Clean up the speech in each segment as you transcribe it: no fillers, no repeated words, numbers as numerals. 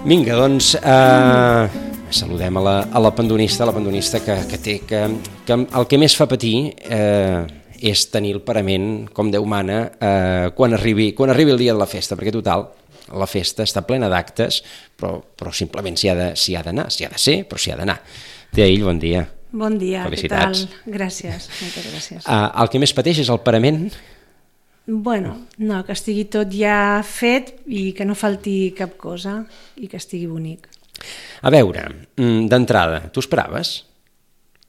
Vinga, doncs saludem a la pandonista que el que més fa patir és tenir el parament, com Déu mana, quan arribi el dia de la festa, perquè total, la festa està plena d'actes, però simplement s'hi ha d'anar, s'hi ha de ser, però s'hi ha d'anar. Teaïll, bon dia. Bon dia, felicitats. Què tal? Gràcies, moltes gràcies. El que més pateix és el parament? Bueno, no, que estigui tot ja fet i que no falti cap cosa i que estigui bonic. A veure, d'entrada, t'ho esperaves?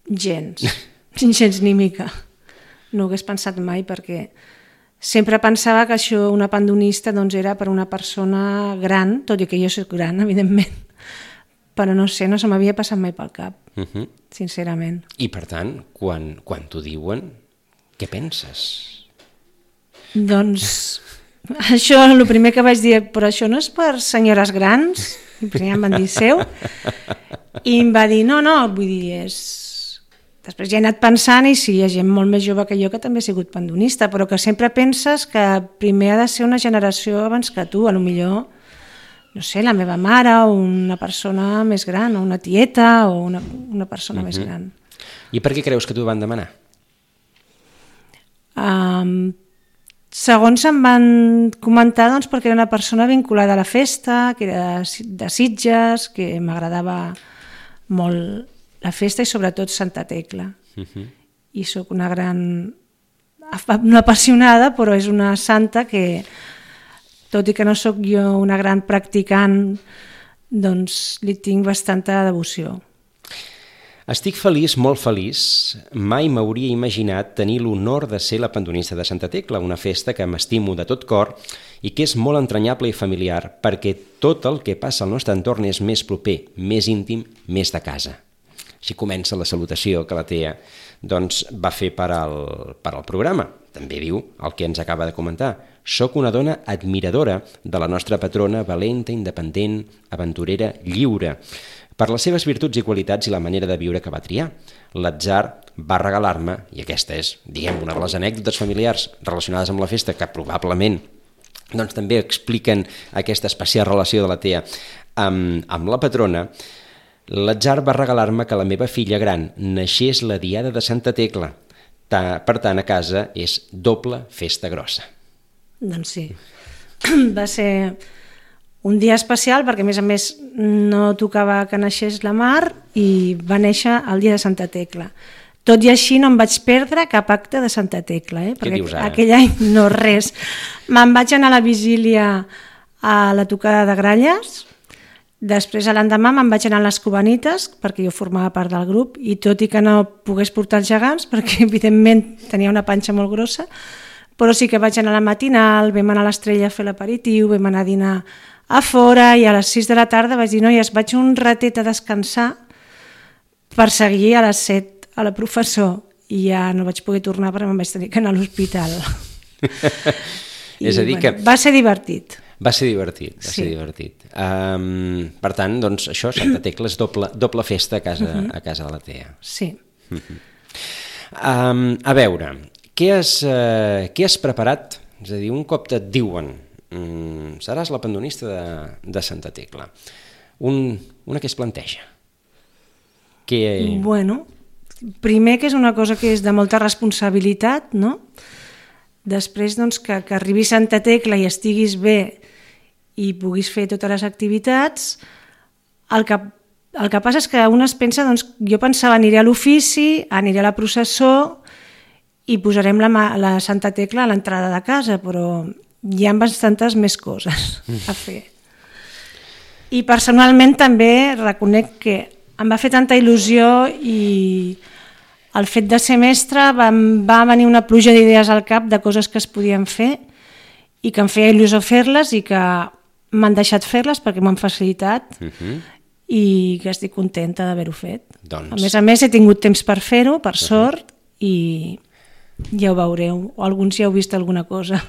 Gens ni mica. No ho hagués pensat mai perquè sempre pensava que això, una pandonista, doncs era per una persona gran, tot i que jo soc gran, evidentment, però no sé, no se m'havia passat mai pel cap, sincerament. I per tant, quan t'ho diuen, què penses? Doncs això, el primer que vaig dir, però això no és per senyores grans? I primer em van dir seu. I em va dir, no, vull dir, és... Després ja he anat pensant i sí, hi ha gent molt més jove que jo que també ha sigut pandonista, però que sempre penses que primer ha de ser una generació abans que tu, a lo millor, no sé, la meva mare o una persona més gran, o una tieta o una persona més gran. I per què creus que t'ho van demanar? Segons em van comentar, doncs, perquè era una persona vinculada a la festa, que era de Sitges, que m'agradava molt la festa i sobretot Santa Tecla. I sóc una no apassionada, però és una santa que, tot i que no sóc jo una gran practicant, doncs li tinc bastanta devoció. Estic feliç, molt feliç. Mai m'hauria imaginat tenir l'honor de ser la pandonista de Santa Tecla, una festa que m'estimo de tot cor i que és molt entranyable i familiar, perquè tot el que passa al nostre entorn és més proper, més íntim, més de casa. Així comença la salutació que la Tea va fer per al programa. També diu el que ens acaba de comentar. Soc una dona admiradora de la nostra patrona, valenta, independent, aventurera, lliure, per les seves virtuts i qualitats i la manera de viure que va triar. L'atzar va regalar-me, i aquesta és, diguem, una de les anècdotes familiars relacionades amb la festa, que probablement també expliquen aquesta especial relació de la Tea amb la patrona. L'atzar va regalar-me que la meva filla gran naixés la diada de Santa Tecla. Per tant, a casa és doble festa grossa. Doncs sí, va ser un dia especial perquè, a més, no tocava que naixés la Mar i va néixer el dia de Santa Tecla. Tot i així no em vaig perdre cap acte de Santa Tecla, perquè aquell any no res. Me'n vaig anar a la vigília a la tocada de gralles. Després, l'endemà, me'n vaig anar a les Cubanites, perquè jo formava part del grup, i tot i que no pogués portar els gegants, perquè evidentment tenia una panxa molt grossa, però sí que vaig anar a la matinal, vam anar a l'Estrella a fer l'aperitiu, vam anar a dinar a fora, i a les 6 de la tarda vaig dir, noies, vaig un ratet a descansar per seguir a les 7 a la professor, i ja no vaig poder tornar perquè me'n vaig tenir que anar a l'hospital. És a dir que... Va ser divertit. Va ser divertit. Per tant, doncs, això, Santa Tecla és doble festa a casa de la Tea. Sí. A veure, què has preparat? És a dir, un cop et diuen seràs la pandonista de Santa Tecla, una que es planteja? Bueno, primer que és una cosa que és de molta responsabilitat, no? Després, doncs, que arribi Santa Tecla i estiguis bé i puguis fer totes les activitats, el que passa és que un es pensa, doncs, jo pensava aniré a l'ofici, aniré a la processó i posarem la Santa Tecla a l'entrada de casa, però hi ha bastantes més coses a fer. I personalment també reconec que em va fer tanta il·lusió i el fet de ser mestra va venir una pluja d'idees al cap de coses que es podien fer i que em feia il·lusió fer-les i que m'han deixat fer-les perquè m'han facilitat i que estic contenta d'haver-ho fet. A més, he tingut temps per fer-ho, per sort, i ja ho veureu, o alguns ja heu vist alguna cosa.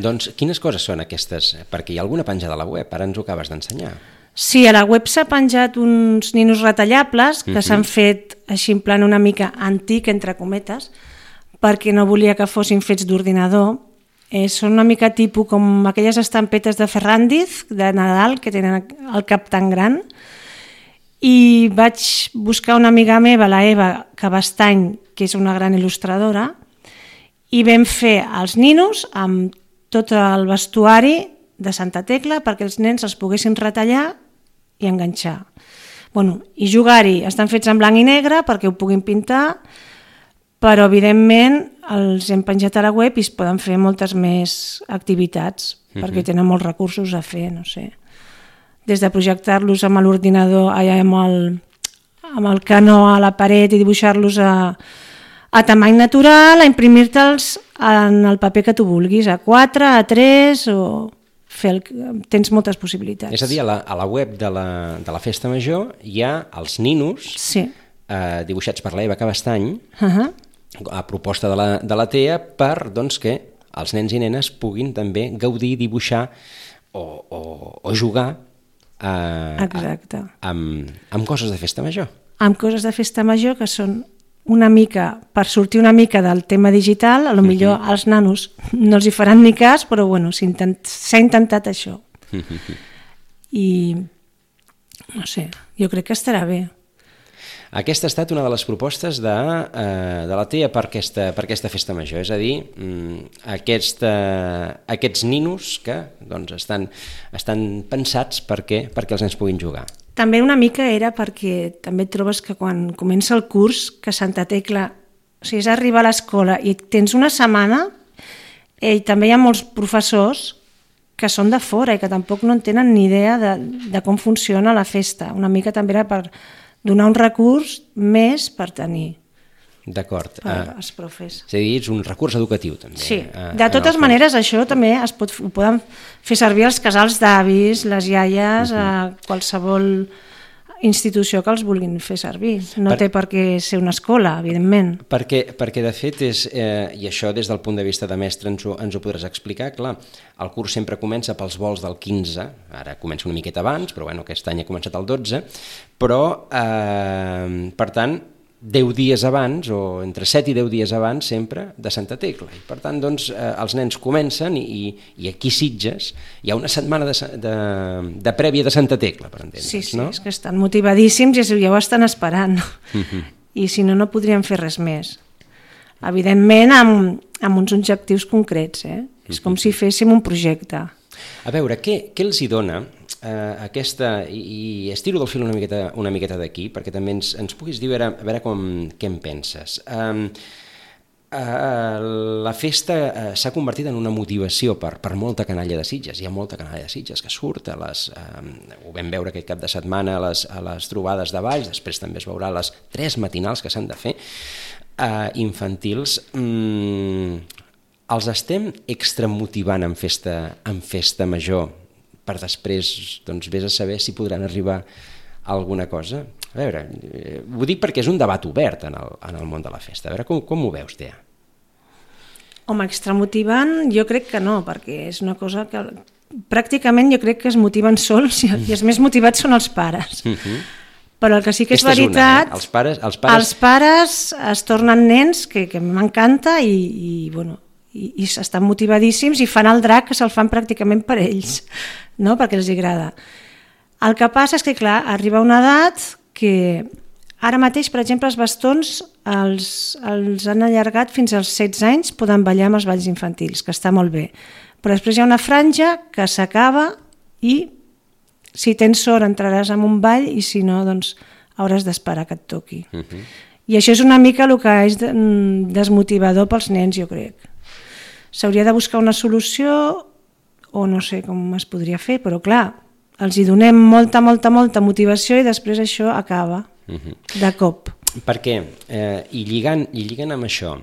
Doncs quines coses són aquestes? Perquè hi ha alguna penjada a la web, ara ens ho acabes d'ensenyar. Sí, a la web s'ha penjat uns ninos retallables que s'han fet així en plan una mica antic, entre cometes, perquè no volia que fossin fets d'ordinador Són una mica tipus com aquelles estampetes de Ferrandiz, de Nadal, que tenen el cap tan gran. I vaig buscar una amiga meva, la Eva Cabastany, que és una gran il·lustradora, i vam fer els ninos amb tot el vestuari de Santa Tecla perquè els nens els poguessin retallar i enganxar. I jugar-hi. Estan fets en blanc i negre perquè ho puguin pintar, però evidentment els hem penjat a la web i es poden fer moltes més activitats perquè tenen molts recursos a fer, no sé. Des de projectar-los amb l'ordinador, amb el canó a la paret i dibuixar-los a tamany natural, a imprimir-te'ls en el paper que tu vulguis, A4, A3 o... Tens moltes possibilitats. És a dir, a la web de la Festa Major hi ha els ninos dibuixats per l'Eva Cabastany, a proposta de la TEA, per que els nens i nenes puguin també gaudir, dibuixar o jugar amb coses de Festa Major. Amb coses de Festa Major que són una mica, per sortir una mica del tema digital, a lo millor als nanos no els hi faran ni cas, però s'ha intentat això. I no sé, jo crec que estarà bé. Aquesta ha estat una de les propostes de la TEA per aquesta Festa Major, és a dir, aquests ninos que estan pensats perquè els nens puguin jugar. També una mica era perquè també trobes que quan comença el curs, que Santa Tecla, o sigui, és arribar a l'escola i tens una setmana, i també hi ha molts professors que són de fora i que tampoc no en tenen ni idea de com funciona la festa. Una mica també era per donar un recurs més per tenir. D'acord. Per als profes. És a dir, és un recurs educatiu, també. Sí, de totes maneres, això també ho poden fer servir els casals d'avis, les iaies, a qualsevol institució que els vulguin fer servir. No té per què ser una escola, evidentment. Perquè de fet, i això des del punt de vista de mestre ens ho podràs explicar, clar, el curs sempre comença pels vols del 15, ara comença una miqueta abans, però aquest any ha començat el 12, però, per tant, 10 dies abans, o entre 7 i 10 dies abans, sempre, de Santa Tecla. I per tant, els nens comencen i aquí a Sitges hi ha una setmana de prèvia de Santa Tecla, per entendre's, no? Sí, és que estan motivadíssims i ja ho estan esperant. I si no, no podrien fer res més. Evidentment, amb uns objectius concrets. És com si féssim un projecte. A veure, què els hi dona aquesta, i estiro del fil una miqueta d'aquí, perquè també ens puguis dir a veure què en penses. La festa s'ha convertit en una motivació per molta canalla de Sitges. Hi ha molta canalla de Sitges que surt, ho vam veure aquest cap de setmana a les trobades de Valls, després també es veurà a les 3 matinals que s'han de fer, infantils. Els estem extramotivant en festa major, per després vés a saber si podran arribar a alguna cosa. A veure, ho dic perquè és un debat obert en el món de la festa. A veure, com ho veus, Tea? Home, extramotivant jo crec que no, perquè és una cosa que pràcticament jo crec que es motiven sols i els més motivats són els pares. Però el que sí que és veritat, els pares es tornen nens, que m'encanta, i estan motivadíssims i fan el drac que se'l fan pràcticament per ells, no? Perquè els agrada. El que passa és que, clar, arriba una edat que ara mateix, per exemple, els bastons els han allargat fins als 16 anys, poden ballar amb els balls infantils, que està molt bé. Però després hi ha una franja que s'acaba i si tens sort entraràs en un ball i si no, doncs hauràs d'esperar que et toqui. I això és una mica el que és desmotivador pels nens, jo crec. S'hauria de buscar una solució o no sé com es podria fer, però clar, els hi donem molta motivació i després això acaba de cop. Perquè, i lligant amb això,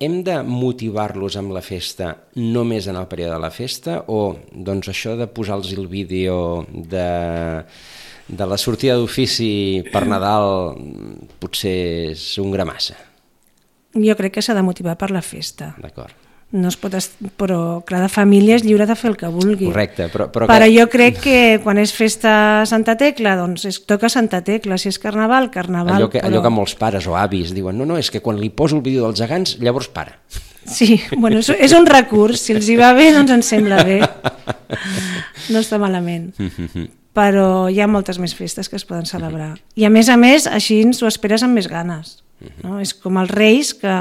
hem de motivar-los amb la festa només en el període de la festa o doncs això de posar-los el vídeo de la sortida d'ofici per Nadal potser és un gra massa? Jo crec que s'ha de motivar per la festa. D'acord. No es pot però cada família és lliure de fer el que vulgui. Correcte, però jo crec que quan és festa Santa Tecla, doncs toca Santa Tecla, si és carnaval. Allò que molts pares o avis diuen, no, és que quan li poso el vídeo dels gegants, llavors para. Sí, bueno, és un recurs. Si els hi va bé, doncs ens sembla bé. No està malament. Però hi ha moltes més festes que es poden celebrar. I a més, així ens ho esperes amb més ganes. No? És com els reis, que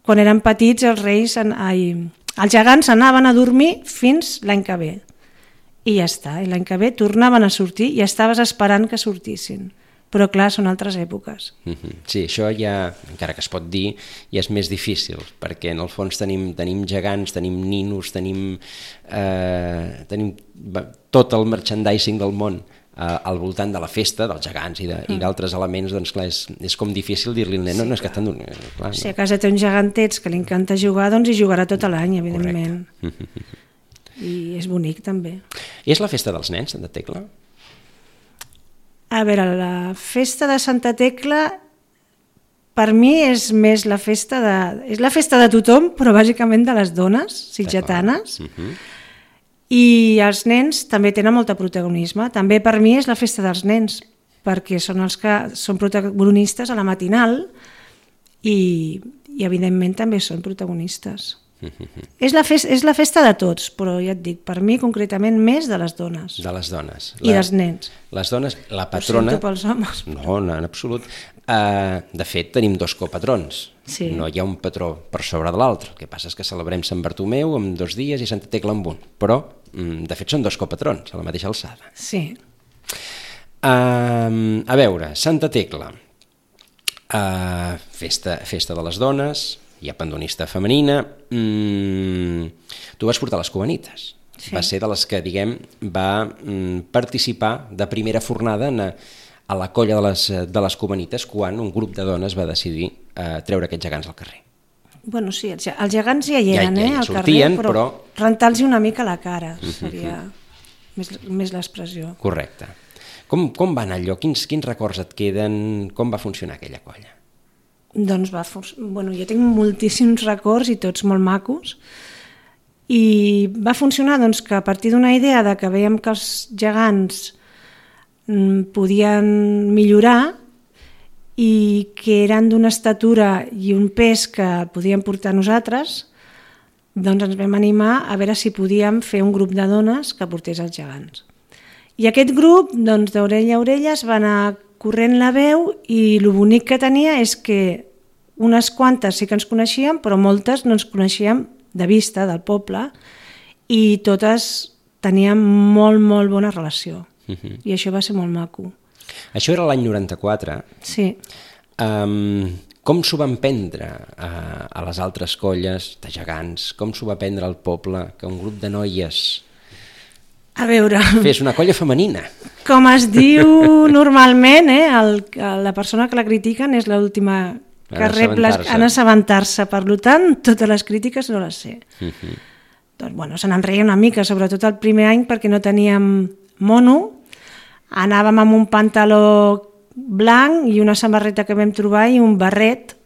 quan eren petits els gegants anaven a dormir fins l'any que ve. I ja està, i l'any que ve tornaven a sortir i estaves esperant que sortissin. Però clar, són altres èpoques. Sí, això ja, encara que es pot dir, ja és més difícil, perquè en el fons tenim gegants, tenim ninos, tenim tot el merchandising del món al voltant de la festa, dels gegants i d'altres elements, doncs clar, és com difícil dir-li al nen, no és que estan dormint. Si a casa té un gegantets que li encanta jugar, doncs hi jugarà tot l'any, evidentment. I és bonic també. I és la festa dels nens, Santa Tecla? A veure, la festa de Santa Tecla per mi és més la festa és la festa de tothom, però bàsicament de les dones sitgetanes. I els nens també tenen molt de protagonisme. També per mi és la festa dels nens, perquè són els que són protagonistes a la matinal i evidentment també són protagonistes. És la festa de tots, però ja et dic, per mi concretament més de les dones. De les dones. I dels nens. Les dones, la patrona... Ho sento pels homes. No, en absolut. De fet, tenim 2 copatrons. Sí. No hi ha un patró per sobre de l'altre. El que passa és que celebrem Sant Bartomeu en 2 dies i Santa Tecla en 1. Però, de fet, són 2 copatrons, a la mateixa alçada. Sí. A veure, Santa Tecla. Festa de les dones... Hi ha pandonista femenina. Tu vas portar les cubanites. Sí. Va ser de les que, diguem, va participar de primera fornada a la colla de les cubanites quan un grup de dones va decidir treure aquests gegants al carrer. Bueno, sí, els gegants ja hi eren, al sortien, carrer, però rentar-los una mica la cara seria més l'expressió. Correcte. Com va anar allò? Quins records et queden? Com va funcionar aquella colla? Doncs jo tinc moltíssims records i tots molt macos, i va funcionar doncs, que a partir d'una idea de que veiem que els gegants podien millorar i que eren d'una estatura i un pes que podíem portar nosaltres, doncs ens vam animar a veure si podíem fer un grup de dones que portés els gegants. I aquest grup, doncs, d'orella a orella es va anar corrent la veu, i el bonic que tenia és que unes quantes sí que ens coneixíem, però moltes no ens coneixíem de vista, del poble, i totes teníem molt, molt bona relació. I això va ser molt maco. Això era l'any 94. Sí. Com s'ho van prendre a les altres colles de gegants? Com s'ho va prendre al poble que un grup de noies... A veure... Fes una colla femenina. Com es diu normalment, la persona que la critiquen és l'última que rep en assabentar-se. Per tant, totes les crítiques no les sé. Doncs, bueno, se n'en reia una mica, sobretot el primer any, perquè no teníem mono, anàvem amb un pantaló blanc i una samarreta que vam trobar i un barret,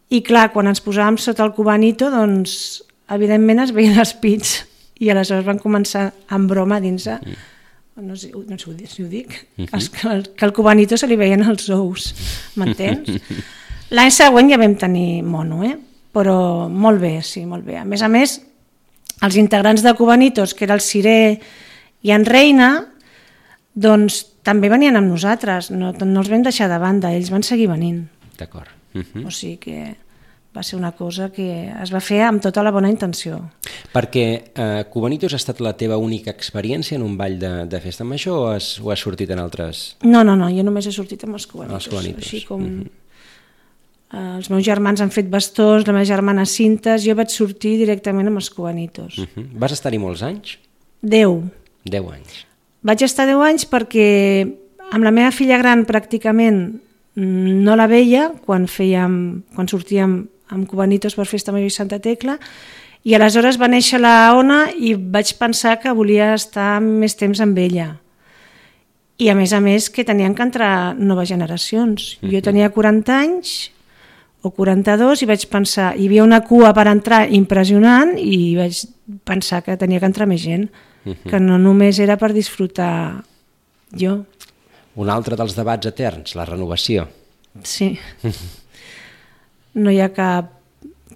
i clar, quan ens posàvem sota el cubanito, doncs, evidentment es veien els pits. I aleshores van començar amb broma a dins, no sé si ho dic, que al cubanito se li veien els ous, m'entens? L'any següent ja vam tenir mono, però molt bé, sí, molt bé. A més, els integrants de Cubanitos, que era el Ciré i en Reina, doncs també venien amb nosaltres, no els vam deixar de banda, ells van seguir venint. D'acord. O sigui que... va ser una cosa que es va fer amb tota la bona intenció. Perquè Cubanitos ha estat la teva única experiència en un ball de festa major o has sortit en altres? No, jo només he sortit amb els Cubanitos. Així com els meus germans han fet bastons, la meva germana cintes, jo vaig sortir directament amb els Cubanitos. Vas estar-hi molts anys? 10. 10 anys. Vaig estar 10 anys perquè amb la meva filla gran pràcticament no la veia quan sortíem amb Cubanitos per Festa Major i Santa Tecla, i aleshores va néixer la Ona i vaig pensar que volia estar més temps amb ella. I a més que tenien que entrar noves generacions. Jo tenia 40 anys o 42 i vaig pensar, hi havia una cua per entrar impressionant i vaig pensar que tenia que entrar més gent, que no només era per disfrutar jo. Un altre dels debats eterns, la renovació. Sí. No hi ha cap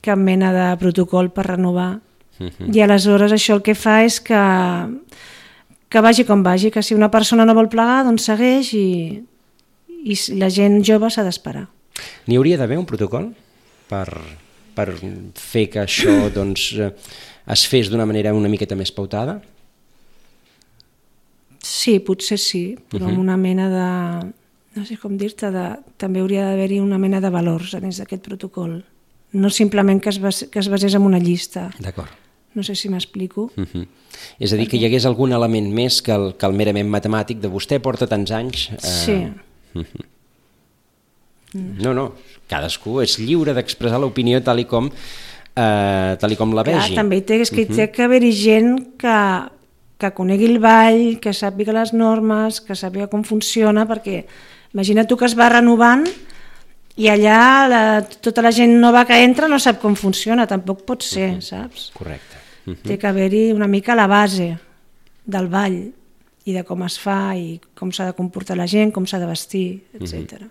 cap mena de protocol per renovar. I aleshores això el que fa és que vagi com vagi, que si una persona no vol plegar, doncs segueix i la gent jove s'ha d'esperar. N'hi hauria d'haver un protocol per fer que això doncs, es fes d'una manera una miqueta més pautada? Sí, potser sí, però amb una mena de... no sé com dir-te, també hauria d'haver-hi una mena de valors dins d'aquest protocol. No simplement que es basés en una llista. D'acord. No sé si m'explico. És a dir, que hi hagués algun element més que el merament matemàtic de vostè porta tants anys... Sí. No, cadascú és lliure d'expressar l'opinió tal i com la vegi. Clar, també té que haver-hi gent que conegui el ball, que sàpiga les normes, que sàpiga com funciona, perquè imagina't tu que es va renovant i allà tota la gent nova que entra no sap com funciona, tampoc pot ser, saps? Correcte. Té que haver-hi una mica la base del ball i de com es fa i com s'ha de comportar la gent, com s'ha de vestir, etc.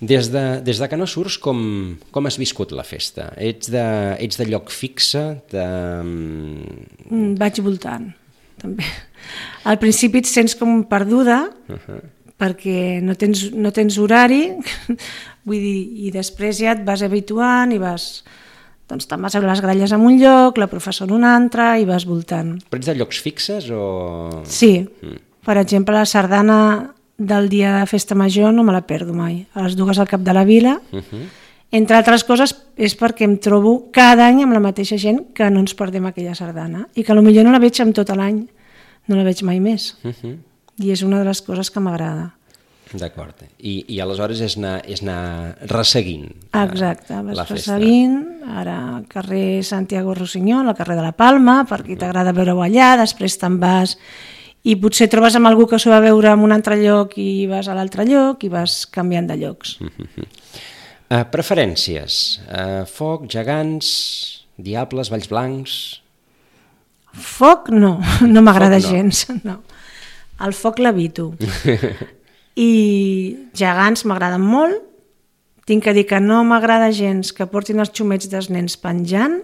Des de que no surts, com has viscut la festa? Ets de lloc fixe? Vaig voltant, també. Al principi et sents com perduda, perquè no tens horari, vull dir, i després ja et vas habituant i vas... doncs te'n vas a les gralles en un lloc, la professora en un altre, i vas voltant. Però ets de llocs fixes o...? Sí. Per exemple, la sardana del dia de festa major no me la perdo mai. A les 2 al cap de la vila. Entre altres coses és perquè em trobo cada any amb la mateixa gent que no ens perdem aquella sardana i que potser no la veig en tot l'any, no la veig mai més. I és una de les coses que m'agrada. D'acord. I aleshores és anar resseguint exacte, la vas festa. resseguint, ara al carrer Santiago Rossinyol, al carrer de la Palma, perquè t'agrada veure-ho allà, després te'n vas i potser trobes amb algú que s'ho va veure en un altre lloc i vas a l'altre lloc i vas canviant de llocs. Preferències? Foc, gegants, diables, balls blancs... Foc no m'agrada gens. No. El foc l'evito. I gegants m'agraden molt. Tinc que dir que no m'agrada gens que portin els xumets dels nens penjant.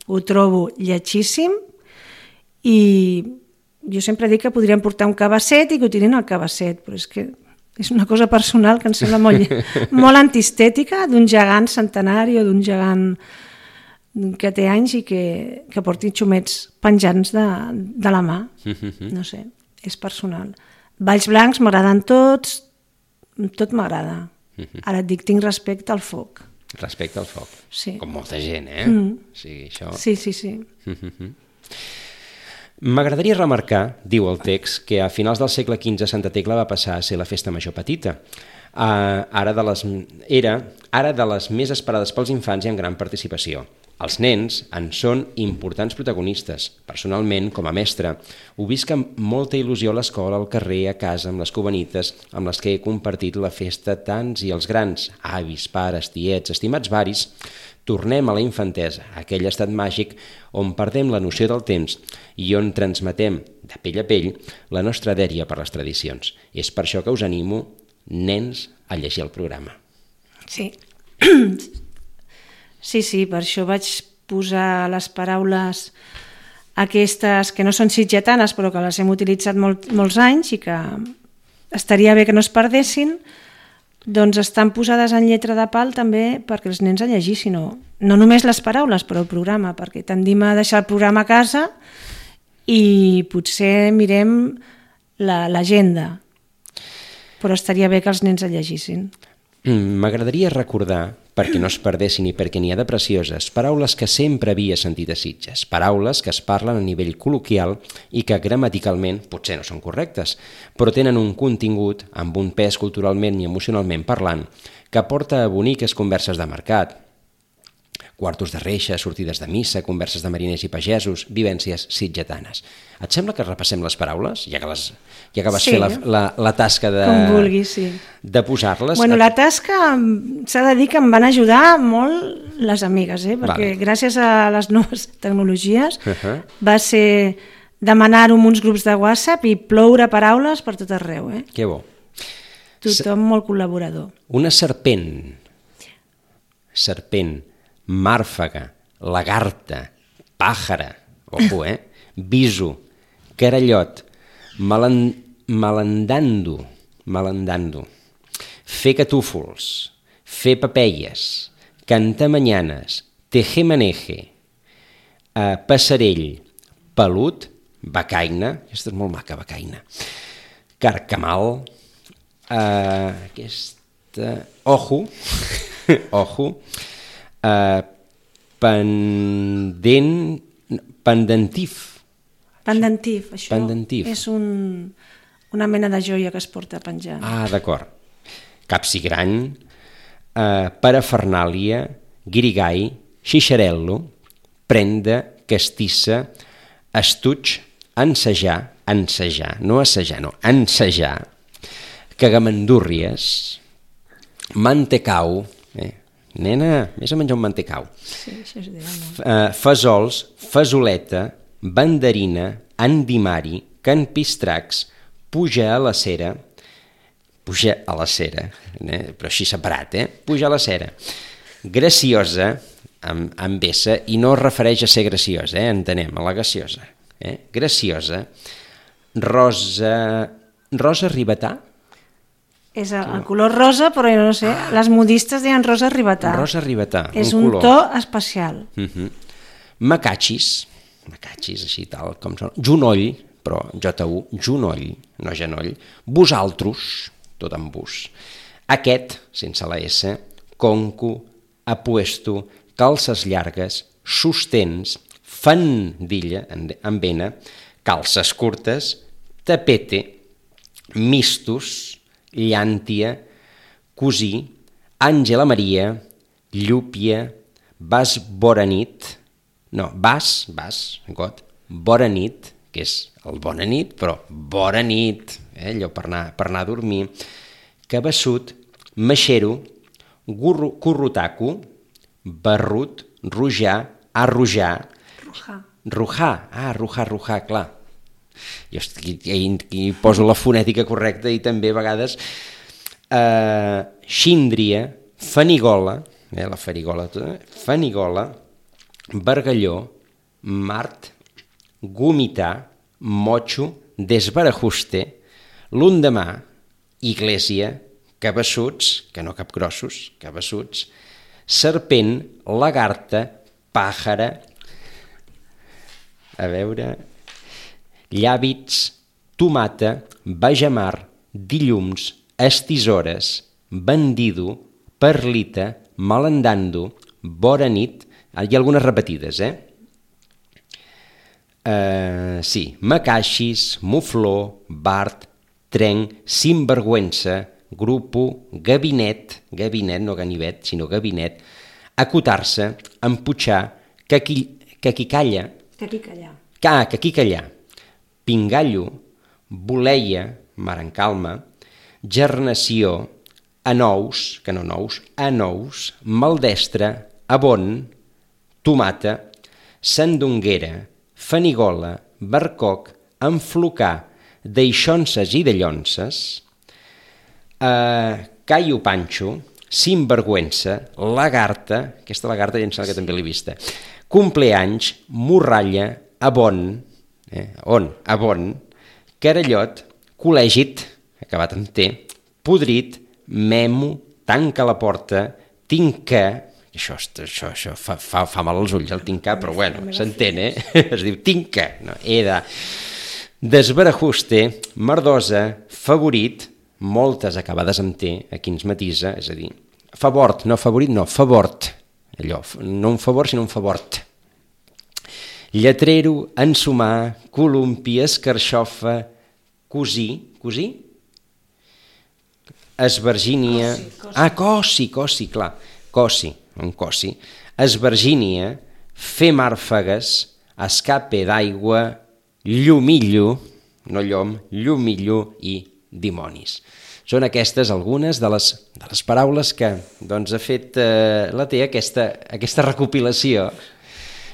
Ho trobo lletgíssim. I jo sempre dic que podrien portar un cabasset i que ho tirin al cabasset, però és que és una cosa personal que em sembla molt antiestètica d'un gegant centenari o d'un gegant que té anys i que porti xumets penjants de la mà. No sé, és personal. Balls blancs m'agraden tots, tot m'agrada. Ara et dic, tinc respecte al foc. Respecte al foc. Sí. Com molta gent, Sí, això... Sí. M'agradaria remarcar, diu el text, que a finals del segle XV Santa Tecla va passar a ser la festa major petita. Ara de les més esperades pels infants i amb gran participació. Els nens en són importants protagonistes. Personalment, com a mestre, ho visc amb molta il·lusió a l'escola, al carrer, a casa, amb les cubanites, amb les que he compartit la festa tants i els grans, avis, pares, tiets, estimats varis. Tornem a la infantesa, a aquell estat màgic on perdem la noció del temps i on transmetem, de pell a pell, la nostra dèria per les tradicions. És per això que us animo, nens, a llegir el programa. Sí. Sí, per això vaig posar les paraules aquestes que no són sitgetanes però que les hem utilitzat molts anys i que estaria bé que no es perdessin, doncs estan posades en lletra de pal també perquè els nens el llegissin, no només les paraules però el programa, perquè tendim a deixar el programa a casa i potser mirem l'agenda, però estaria bé que els nens el llegissin. M'agradaria recordar, perquè no es perdessin i perquè n'hi ha de precioses, paraules que sempre havia sentit a Sitges, paraules que es parlen a nivell col·loquial i que gramaticalment potser no són correctes, però tenen un contingut amb un pes culturalment i emocionalment parlant que porta a boniques converses de mercat, quartos de reixa, sortides de missa, converses de mariners i pagesos, vivències sitgetanes. Et sembla que repassem les paraules, ja que vas fer la tasca de posar-les? Bueno, la tasca s'ha de dir que em van ajudar molt les amigues, perquè gràcies a les noves tecnologies va ser demanar-ho en uns grups de WhatsApp i ploure paraules per tot arreu. Que bo. Tothom molt col·laborador. Una serpent, màrfaga, lagarta, pàjara, ojo, viso, carallot, malandando, fer catúfols, fer papelles, cantar manyanes, tejemaneje, passarell, pelut, becaina, aquesta és molt maca, becaina, carcamal, aquesta, ojo, pendentif. Pendentif, això Pendentif. és una mena de joia que es porta penjant. Ah, d'acord. Capsigrany, parafernàlia, guirigall, xixarel·lo, prenda, castissa, estuig, ensejar, cagamandúrries, mantecau, nena, vés a menjar un mantecau, Sí, això es diu, no? fesols, fesoleta, banderina, andimari, canpistracs, puja a la cera, però així separat, puja a la cera, graciosa, amb S, i no es refereix a ser graciosa, entenem, a la graciosa, graciosa, rosa ribetà? És el color rosa, però jo no sé, les modistes deien rosa ribetà. Rosa ribetà, és un un color. to especial. Macachis, així tal com són, junoll, però J-U, junoll, no genoll, vosaltros, tot amb bus, aquest, sense la S, conco, apuesto, calces llargues, sostens, fandilla, amb N, calces curtes, tapete, mistus, llàntia, cosí, Àngela Maria, llúpia, vas boranit, boranit, que és el bona nit, però bona nit, allò per anar a dormir, cabeçut, maxero, currutaco, barrut, rujar, arrojar, rujar, clar. Jo hi poso la fonètica correcta i també a vegades xíndria, fanigola, la farigola, fanigola, bargalló, mart, gomitar, motxo, desbarajuste, l'undemà, iglesia, cabeçuts, que no capgrossos, cabeçuts, serpent, lagarta, pàjara, a veure, llàbits, tomata, bajamar, dilluns, estisores, bandido, perlita, malandando, bona nit, hi ha algunes repetides, sí, macaixis, mufló, bart, trenc, sinvergüença, grupo, gabinet, no ganivet, sinó gabinet, acotar-se, emputxar, caquicalla, pingallo, boleia, mar en calma, gernació, anous, que no nous, anous, maldestre, abon, tomata, sandonguera, fanigola, barcoc, enflocar, deixonses i dellonses, caio panxo, sinvergüença, lagarta, aquesta lagarta ja em sembla que també l'he vista, compleanys, morralla, abon, abon, carallot, col·legit, acabat amb T, podrit, memo, tanca la porta, tinca, això fa mal als ulls el tincar, però bueno, s'entén, es diu tinca, no, desbarajuste, merdosa, favorit, moltes acabades amb T, aquí ens matisa, és a dir, favort, no favorit, no, favort, allò, no un favor, sinó un favort. Lletrero, ensumar, columpi, escarxofa, cosí, esvergínia... Cosi, clar, cosi, esvergínia, fer màrfegues, escape d'aigua, llumillo, no llom, llumillo i dimonis. Són aquestes algunes de les paraules que ha fet la T, aquesta recopilació.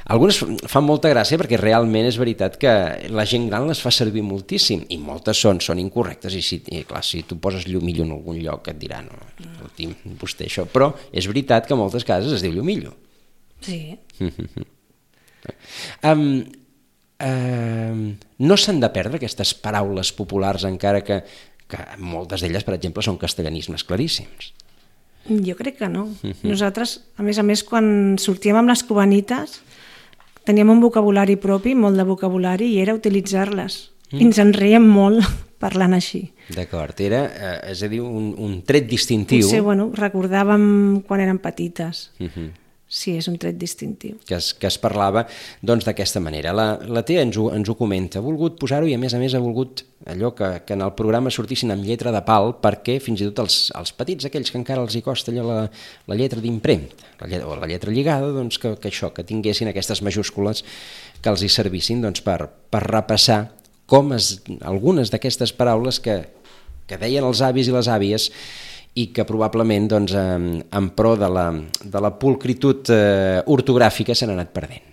Algunes fan molta gràcia perquè realment és veritat que la gent gran les fa servir moltíssim i moltes són incorrectes i clar, si tu poses llumillo en algun lloc et dirà no, vostè això, però és veritat que a moltes cases es diu llumillo, Sí. No s'han de perdre aquestes paraules populars, encara que moltes d'elles, per exemple, són castellanismes claríssims. Jo crec que no. Nosaltres, a més, quan sortíem amb les cubanites, teníem un vocabulari propi, molt de vocabulari, i era utilitzar-les. I ens en reiem molt parlant així. D'acord, era, és a dir, un tret distintiu. Potser, recordàvem quan érem petites. Sí, és un tret distintiu. Que es parlava doncs d'aquesta manera. La Tea ens ho comenta, ha volgut posar-ho i a més ha volgut allò que en el programa sortissin amb lletra de pal, perquè fins i tot els petits, aquells que encara els hi costa allò la lletra d'impremta o la lletra lligada, doncs que això, que tinguessin aquestes majúscules que els hi servissin doncs, per repassar com algunes d'aquestes paraules que deien els avis i les àvies i que probablement doncs, en pro de la pulcritud ortogràfica s'han anat perdent.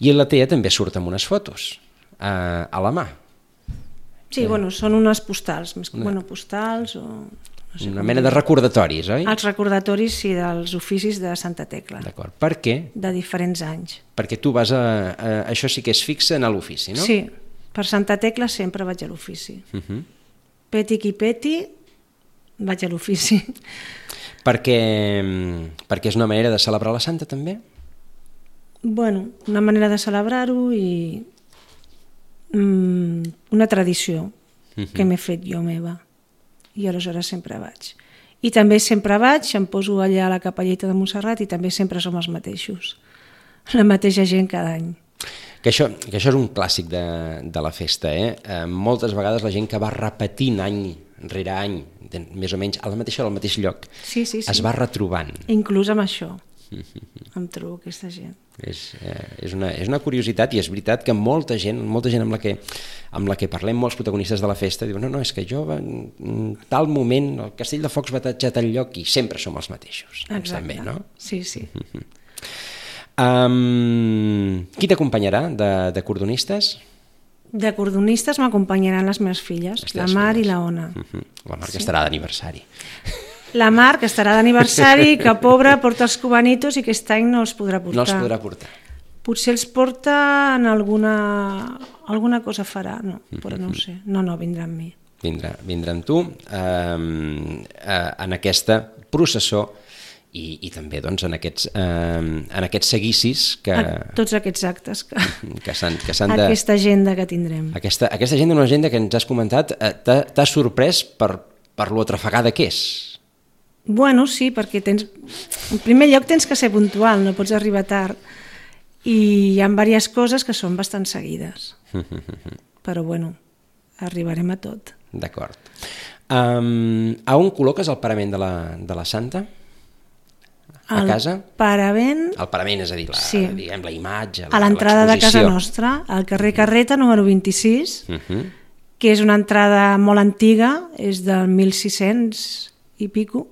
I la Tea també surt amb unes fotos a la mà. Sí, són unes postals, postals o... No sé, una mena de recordatoris, oi? Els recordatoris, sí, dels oficis de Santa Tecla. D'acord. Per què? De diferents anys. Perquè tu vas això sí que és fixe en l'ofici, no? Sí, per Santa Tecla sempre vaig a l'ofici. Peti qui peti, vaig a l'ofici. Perquè és una manera de celebrar la Santa, també? Una manera de celebrar-ho i una tradició que m'he fet jo meva. I aleshores sempre vaig. I també sempre vaig, em poso allà a la capelleta de Montserrat i també sempre som els mateixos. La mateixa gent cada any. Que això és un clàssic de la festa, moltes vegades la gent que va repetint any rere any, més o menys al mateix lloc, sí. es va retrobant. Inclús amb això em trobo aquesta gent. És una curiositat i és veritat que molta gent amb la que parlem, molts protagonistes de la festa, diuen no, és que jo en tal moment el Castell de Focs va a tal lloc i sempre som els mateixos. Exacte, també, no? Sí. Qui t'acompanyarà de cordonistes? De cordonistes m'acompanyaran les meves filles, la Mar i la Ona. La Mar que estarà d'aniversari. La Mar, que estarà d'aniversari, que pobra porta els cubanitos i aquest any no els podrà portar. No els podrà portar. Potser els porta en alguna cosa farà, no, però no ho sé. No, vindrà amb mi. Vindrà amb tu en aquesta processó i també doncs, en aquests seguicis tots aquests actes que s'han de... Aquesta agenda que tindrem. Aquesta agenda, una agenda que ens has comentat, t'ha sorprès per lo atrafegada que és. Sí, perquè en primer lloc tens que ser puntual, no pots arribar tard. I hi ha diverses coses que són bastant seguides. Però arribarem a tot. D'acord. A on col·loques el parament de la Santa? A casa? El parament, és a dir, la imatge, a l'entrada de casa nostra, al carrer Carreta, número 26, que és una entrada molt antiga, és del 1600 i pico,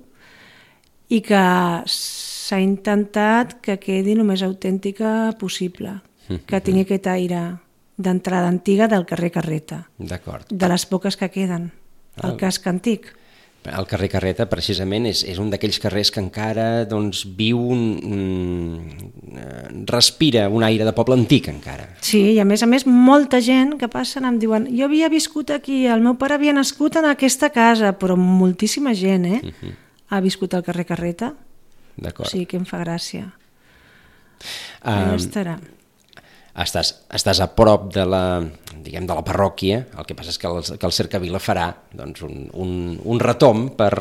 i que s'ha intentat que quedi el més autèntica possible, que tingui aquest aire d'entrada antiga del carrer Carreta. D'acord. De les poques que queden, el casc antic. El carrer Carreta, precisament, és un d'aquells carrers que encara viu, respira un aire de poble antic, encara. Sí, i a més, molta gent que passen em diuen jo havia viscut aquí, el meu pare havia nascut en aquesta casa, però moltíssima gent, ha viscut al carrer Carreta. D'acord. O sigui que em fa gràcia. Allà estarà. Estàs a prop de la parròquia, el que passa és que el Cercavila farà un retomb per...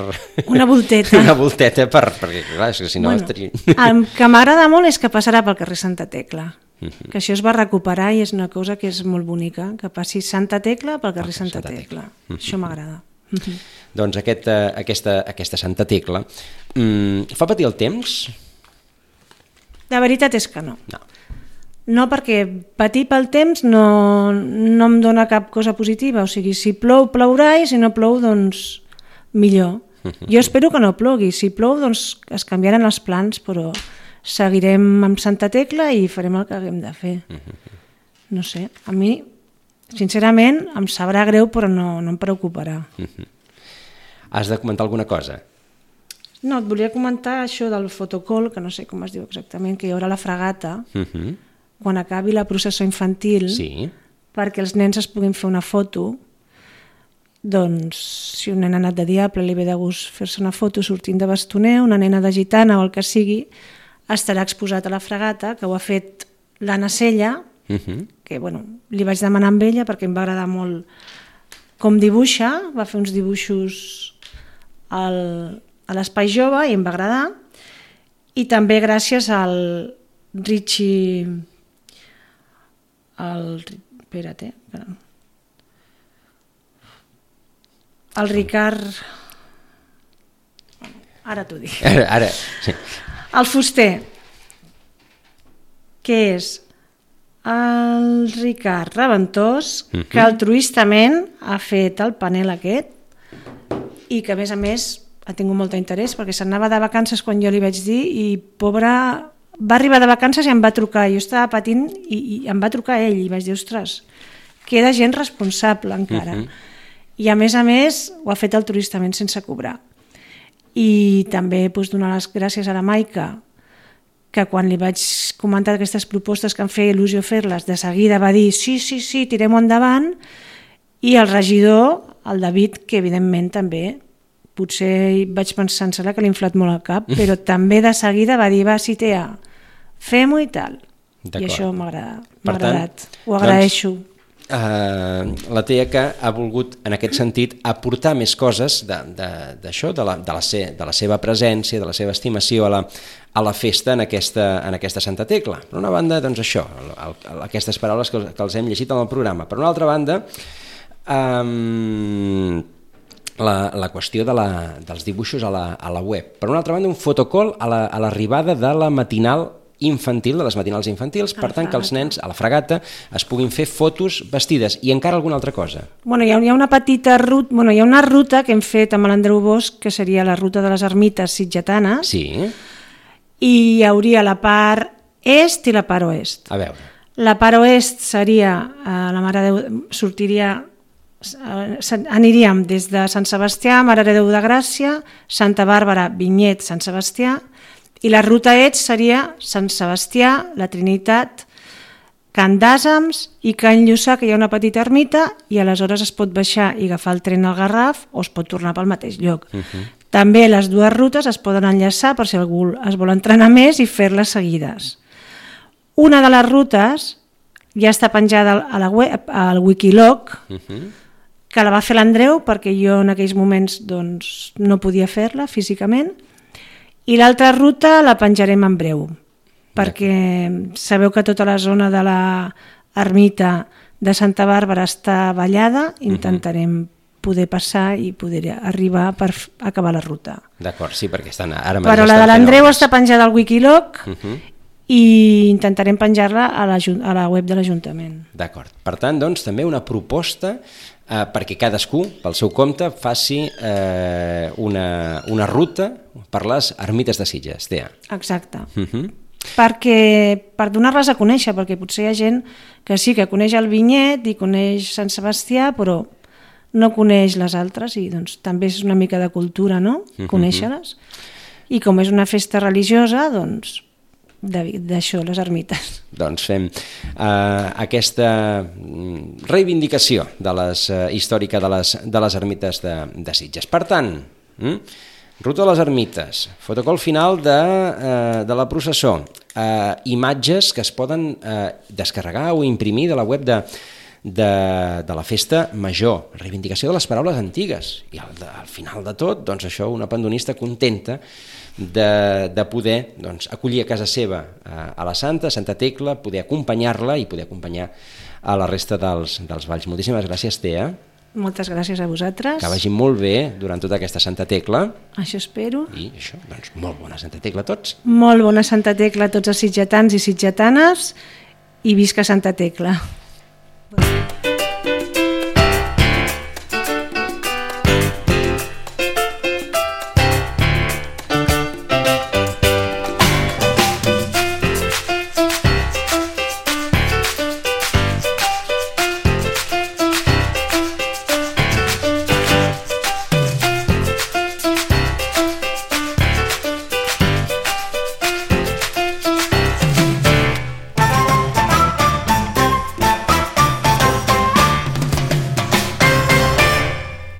Una volteta. Una volteta perquè, clar, és que si no... El que m'agrada molt és que passarà pel carrer Santa Tecla, que això es va recuperar i és una cosa que és molt bonica, que passi Santa Tecla pel carrer Santa Tecla. Això m'agrada. Doncs aquesta Santa Tecla fa patir el temps? La veritat és que no. No, perquè patir pel temps no em dona cap cosa positiva. O sigui, si plou, plourà, i si no plou, doncs millor. Jo espero que no plogui. Si plou, doncs es canviaran els plans, però seguirem amb Santa Tecla i farem el que haguem de fer. No sé, a mi, sincerament, em sabrà greu, però no em preocuparà. Has de comentar alguna cosa? No, et volia comentar això del fotocall, que no sé com es diu exactament, que hi haurà la fregata, quan acabi la processó infantil, Sí. perquè els nens es puguin fer una foto. Doncs si un nen ha anat de diable li ve de gust fer-se una foto sortint de bastoner, una nena de gitana o el que sigui, estarà exposat a la fregata, que ho ha fet l'Anna Sella, que bueno, li vaig demanar amb ella perquè em va agradar molt com dibuixa, va fer uns dibuixos a l'Espai Jove i em va agradar, i també gràcies al Richie, espera't, el Ricard, ara t'ho dic, Ara, sí. el fuster, que és el Ricard Reventós, que altruistament ha fet el panel aquest i que a més ha tingut molt d'interès perquè s'anava de vacances quan jo li vaig dir i pobre, va arribar de vacances i em va trucar, jo estava patint i em va trucar ell i vaig dir, ostres, queda gent responsable encara. I a més ho ha fet altruistament sense cobrar. I també donar les gràcies a la Maica, que quan li vaig comentar aquestes propostes que em feia il·lusió fer-les, de seguida va dir sí, tirem-ho endavant, i el regidor, el David, que evidentment també, potser vaig pensar que l'he inflat molt al cap, però també de seguida va dir, va, sí, Tea, fem-ho i tal. I això m'ha agradat, ho agraeixo. La Tea que ha volgut, en aquest sentit, aportar més coses d'això, de la seva presència, de la seva estimació a la festa en aquesta Santa Tecla. Per una banda, doncs això, aquestes paraules que els hem llegit en el programa. Per una altra banda, la qüestió dels dibuixos a la web. Per una altra banda, un fotocall a l'arribada de la matinal infantil, de les matinals infantils, per tant que els nens a la fregata es puguin fer fotos vestides. I encara alguna altra cosa? Bueno, hi ha una petita ruta, hi ha una ruta que hem fet amb l'Andreu Bosch, que seria la ruta de les ermites sitgetanes, sí. I hi hauria la part est i la part oest. A veure. La part oest seria, la Mare de Déu sortiria, aniríem des de Sant Sebastià, Mare de Déu de Gràcia, Santa Bàrbara, Vinyet, Sant Sebastià, i la ruta est seria Sant Sebastià, la Trinitat, Can d'Àsems i Can Lluçà, que hi ha una petita ermita, i aleshores es pot baixar i agafar el tren al Garraf o es pot tornar pel mateix lloc. També les dues rutes es poden enllaçar per si algú es vol entrenar més i fer-les seguides. Una de les rutes ja està penjada a la web, al Wikiloc, que la va fer l'Andreu perquè jo en aquells moments doncs, no podia fer-la físicament, i l'altra ruta la penjarem en breu, perquè sabeu que tota la zona de l'ermita de Santa Bàrbara està vallada, intentarem poder passar i poder arribar per acabar la ruta. D'acord, sí, perquè ara però la de l'Andreu està penjada al Wikiloc i intentarem penjar-la a la web de l'Ajuntament. D'acord, per tant, doncs, també una proposta perquè cadascú, pel seu compte, faci una ruta per les ermites de Sitges, Tea. Exacte. Perquè per donar-les a conèixer, perquè potser hi ha gent que sí que coneix el Vinyet i coneix Sant Sebastià, però no coneix les altres i doncs també és una mica de cultura, no? Conèixer-les. I com és una festa religiosa, doncs d'això, les ermites. Doncs fem aquesta reivindicació històrica de les ermites de Sitges. Per tant, ruta de les ermites, fotocall final de la processó, imatges que es poden descarregar o imprimir de la web de la festa major, reivindicació de les paraules antigues, i al final de tot, doncs això, una pandonista contenta de poder acollir a casa seva a la Santa Tecla, poder acompanyar-la i poder acompanyar a la resta dels balls. Moltíssimes gràcies, Tea. Moltes gràcies a vosaltres. Que vagi molt bé durant tota aquesta Santa Tecla. Això espero. I això, doncs, molt bona Santa Tecla a tots. Molt bona Santa Tecla a tots els sitgetans i sitgetanes i visca Santa Tecla.